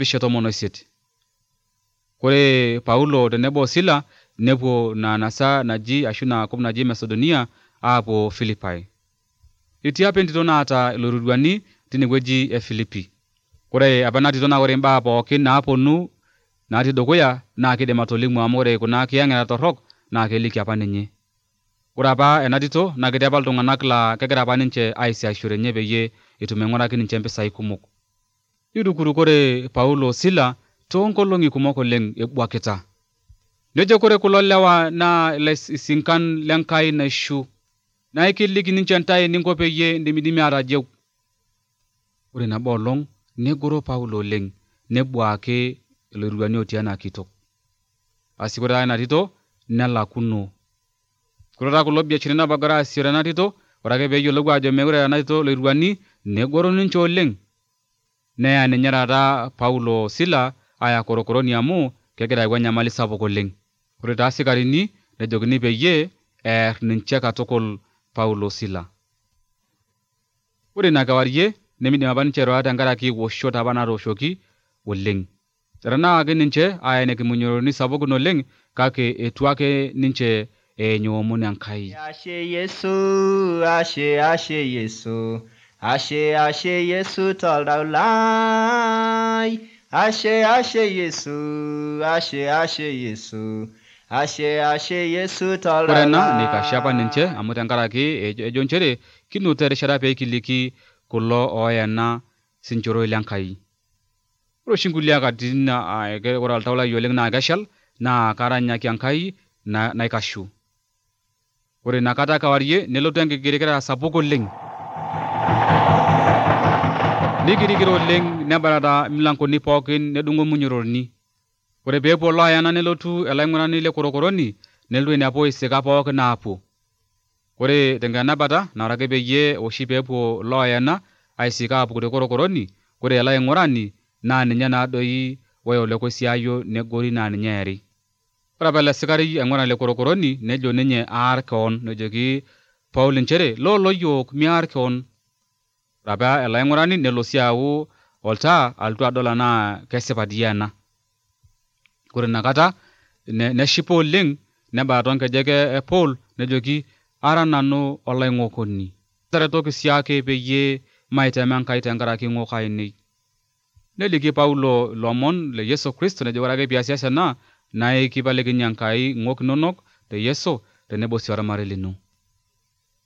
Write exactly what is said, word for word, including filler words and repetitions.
bishe tomon oisiet. Kore Paulo tenebo Sila nepuo na nasa naji ashu na kop naji Macedonia apuo Philippi. Itii apa entito naata iloiruruani tinewueji e Philippi. Kore apa ena tito naa ore imbaa pookin naaponu natii dukuya naa kidim atolimu amu ore kuna kiyang'eta torrok naa keliki apa ninye. Ore apa ena tito naa ketii apa iltung'anak laa kegira apa ninche aisiashore nye peyie etum aing'uraki ninche mpisai kumok. Nirukuru kore Paulo Sila toonkolong'i kumok oleng ebuakita. Nejo kore kulo lewa naa ilaisinkan lenkai naishu. Naa ikiliki ninche ntae ninko peyie indimidimi atajeu. Ore nabo olong negoro Paulo oleng nebuaki iloiruruani otii ena kitok. Asi kore ena tito nelakuno. Kore taa kulo biasharani apa egira aasishore ena tito, ore ake peeyiolou ajo mekure ena tito iloiruruani negoro ninche oleng. Neya ninye taata Paulo Sila aya korokoroni amu kegira ayau enyamali sapuk oleng. Ore taa sikarini nejokini peyie eer ninche katukul Paulo Sila. Ore ina kewarie nemidim apa ninche airura tenkaraki woshot apa natooshoki oleng. Etanakaki ninche aya ina kimunyoroni sapukin oleng kake etu ake ninche enyoomon Enkai. Ashe Yesu, ashe ashe Yesu, ashe ashe Yesu toldau lai. Ashe ashe Yesu, ashe ashe Yesu, ashe ashe Yesu toldau lai. Ore ena nikashe apa ninche amu tenkaraki ejo nchere kinuta erishata pee kiliki kulo ooyena sinchoroi lenkai. Ore oshi nkulie katitin ore oltau lai oleng naa keshal naa karanyaki Enkai naikashu. Ore inakata kewarie nelotu enkigirikira sapuk oleng. Nigirigiro oleng nebarata milangoni pookin nedung'o munyororni. Ore peepuo looyana nelotu elaing'urani le korokoroni nelotu ainepu isika pookin naapuo. Ore tenkenabata naa ore ake peyie oshi peepuo looyana aisika aapuku te korokoroni, ore ele aing'urani naa ninye naadoi oya olekosiayo negori naa ninye eeri. Ore apa ele sikari aing'urani le korokoroni nejo ninye aar keon nejoki Paulo nchere loolo yiok miarr keon. Ore apa ele aing'urani nelo sii ayau oltaa alotu adol enaa kesipa dii ena. Ore inakata neshipa oleng nebaya toonkejek e Paul nejoki ara nanu olaing'okoni. Taretoki siake peyie maitema Enkai tenkaraki ing'ok ainei. Neliki Paulo ilomon le Yesu Kristo nejo ore ake piasias ena naa kipalikinye Enkai ing'ok inonok te Yesu tenebo sii ormarei lino.